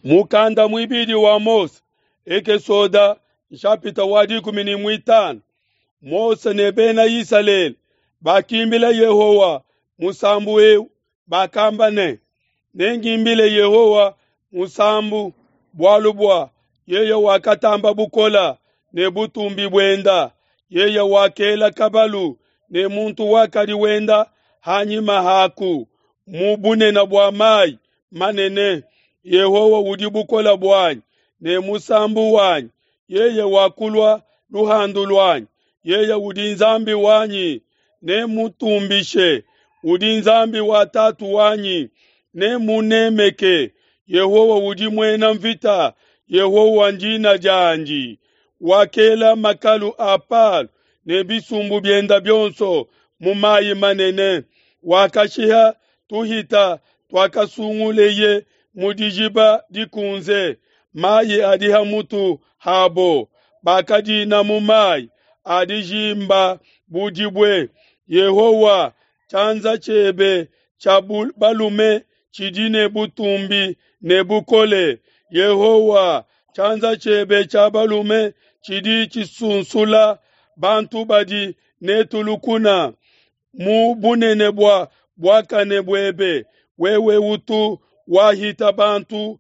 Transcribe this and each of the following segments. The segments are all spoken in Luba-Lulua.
Mukanda muibidi wa Mose, Ekesoda nshapita wa 15. Mose ne bena Isalele bakimbila Yehowa musambu eu, bakamba ne: Nengimbile Yehowa musambu, bualu bua yeye wakatamba bukola ne butumbi buenda, yeye wakela kabalu ne muntu wakadi wenda hanyima haku mu bunene bua mai manene. Yehowa udi bukola buanyi ne musambu wanyi, yeye wakulua luhandu luanyi, yeye udi Nzambi wanyi, nemutumbishe, udi Nzambi wa tatu wanyi, nemunemeke. Yehowa udi muena mvita, Yehowa ndina diandi. Wakela makalu a Palo ne bisumbu bienda bionso mu mayi manene, wakashiha tuhita tuakasunguleye mu dijiba dikunze, mayi adi ha mutu habo, bakadina mu mayi a dijimba bu dibue. Yehowa, tshianza tshiebe tshia balume tshidi ne butumbi ne bukole. Yehowa, tshianza tshiebe tshia balume tshidi tshisunsula bantu badi netu lukuna. Mu bunene bua buakane buebe, wewe utu wahita bantu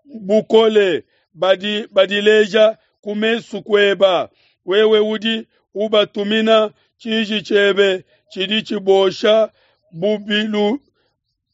bukole badi badileja ku mesu kueba. Wewe udi ubatumina tshiji tshiebe tshidi tshibosha bubilu.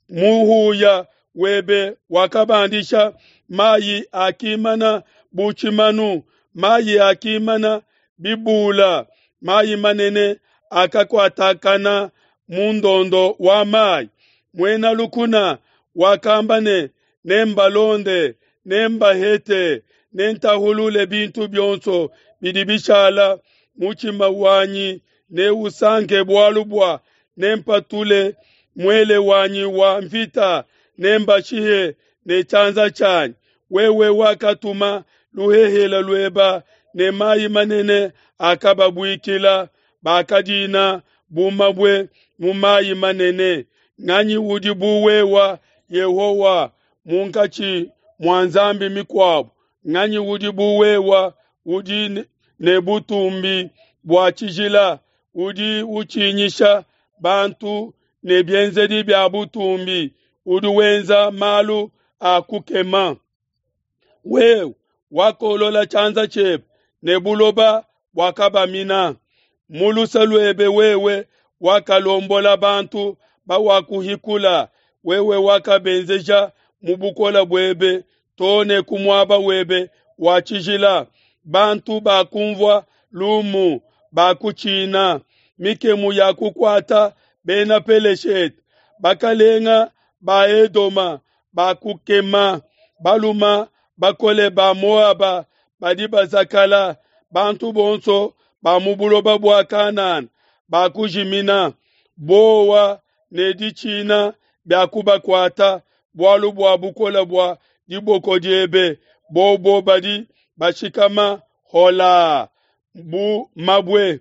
Muhuya webe wakabandisha mayi akimana bu tshimanu, mayi akimana bibula, mayi manene akakuatakana mu ndondo wa mayi. Muena lukuna wakamba ne: Nembalonde, nembahete, nentahulule bintu bionso bidi bishala. Mutshima wanyi neusanke bualu bua nempatule muele wanyi wa mvita, nembashihe ne tshianza tshianyi. Wewe wakatuma luhehele lueba ne mayi manene akababuikila, bakadina bu mabue mu mayi manene. Nganyi udi bu wewa, Yehowa, munkatshi mua nzambi mikuabo? Nganyi udi bu wewa, udi ne butumbi bua tshijila, udi utshinyisha bantu ne bienzedi bia butumbi, udi wenza malu a kukema? Wewe wakolola tshianza tshiebe ne buloba buakabamina. Mu luse luebe wewe wakalombola bantu bawakuhikula, wewe wakabenzeja mu bukole buebe too ne ku muaba webe wa tshijila. Bantu bakumvua lumu bakutshina, mikemu ya kukuata bena Peleshete. Bakalenga ba Edoma bakukema, baluma bakole ba Moaba badi bazakala, bantu bonso ba mu buloba bua Kanana bakujimina. Bowa ne ditshina biakubakuata bualu bua bukole bua diboko diebe, bobo badi bashikama hola bu mabue.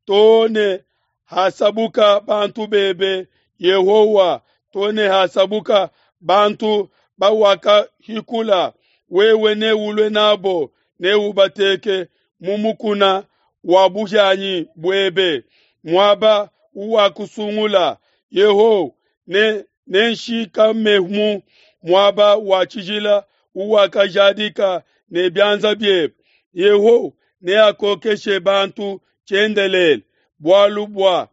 Too ne hasabuka bantu bebe, Yehowa, too ne hasabuka bantu bawakahikula, wewe neulue nabo, neubateke mu mukuna wa buhianyi buebe, muaba uwakusungula. Yehowa, ne nenshikamemu muaba wa tshijila uwakajadika ne bianza biebe. Yehowa neakokeshe bantu tshiendelele, bualu bua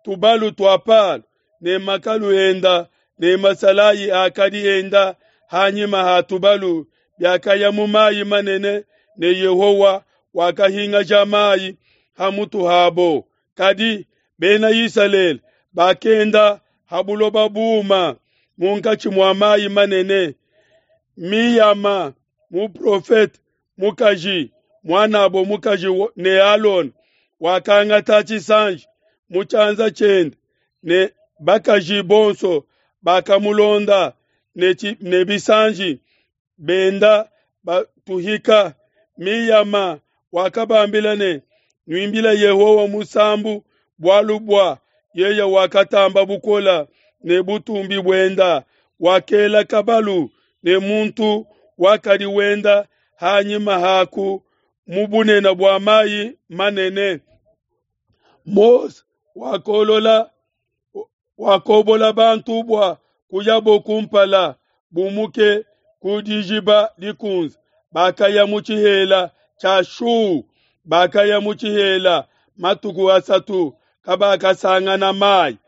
tubalu tua Palo ne makalu enda ne masalayi akadi enda hanyima ha tubalu biakaya mu mayi manene, ne Yehowa wakahingaja mayi ha mutu habo. Kadi bena Isalele bakenda ha buloba buuma munkatshi mua mayi manene. Miyama muprofete mukaji, muanabo mukaji ne Alona, wakangata tshisanji mu tshianza tshiende, ne bakaji bonso bakamulonda ne bisanji benda batuhika. Miyama wakabambila ne: Nuimbile Yehowa musambu, bualu bua yeye wakatamba bukola ne butumbi buenda, wakela kabalu ne muntu wakadi wenda ha nyima haku mu bunene bua mai manene. Mose wakolola wakobola bantu bua kuyabo kumpala, bumuke ku Dijiba Dikunze, bakaya mu tshihela tshia Shu, bakaya mu tshihela matuku asatu, kabakasangana mai.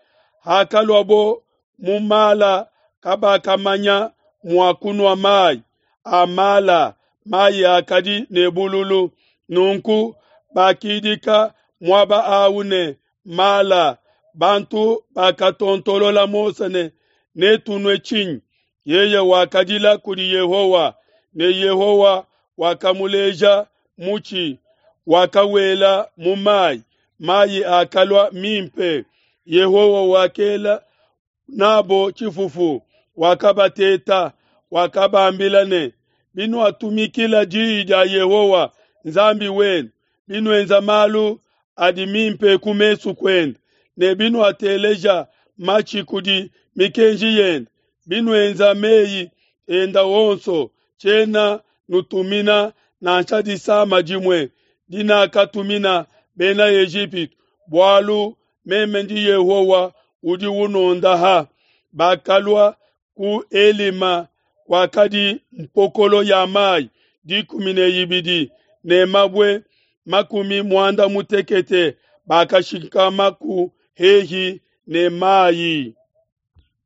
Hakaluabo mu Mala, kabakamanya mua kunua mai a Mala, mai akadi ne bululu. Nunku bakidika muaba au ne, Mala. Bantu bakatontolola Mose ne, Netunue tshinyi? Yeye wakadila kudi Yehowa, ne Yehowa wakamuleja mutshi, wakawela mu mai, mai akalua mimpe. Yehowa wakela nabo tshifufu, wakabateta, wakabambila ne, Binuatumikila diyi dia Yehowa Nzambi wenu, binuenza malu adi mimpe ku mesu kuende, ne binuateleja matshi kudi mikenji yende, binuenza meyi enda onso, tshiena nutumina nansha disama dimue dinakatumina bena Ejipitu, bualu meme ndi Yehowa udi unondaha. Bakalua ku Elima kwakadi mpokolo ya mai 12 ne mabue 60, bakashikamaku hehi ne mai.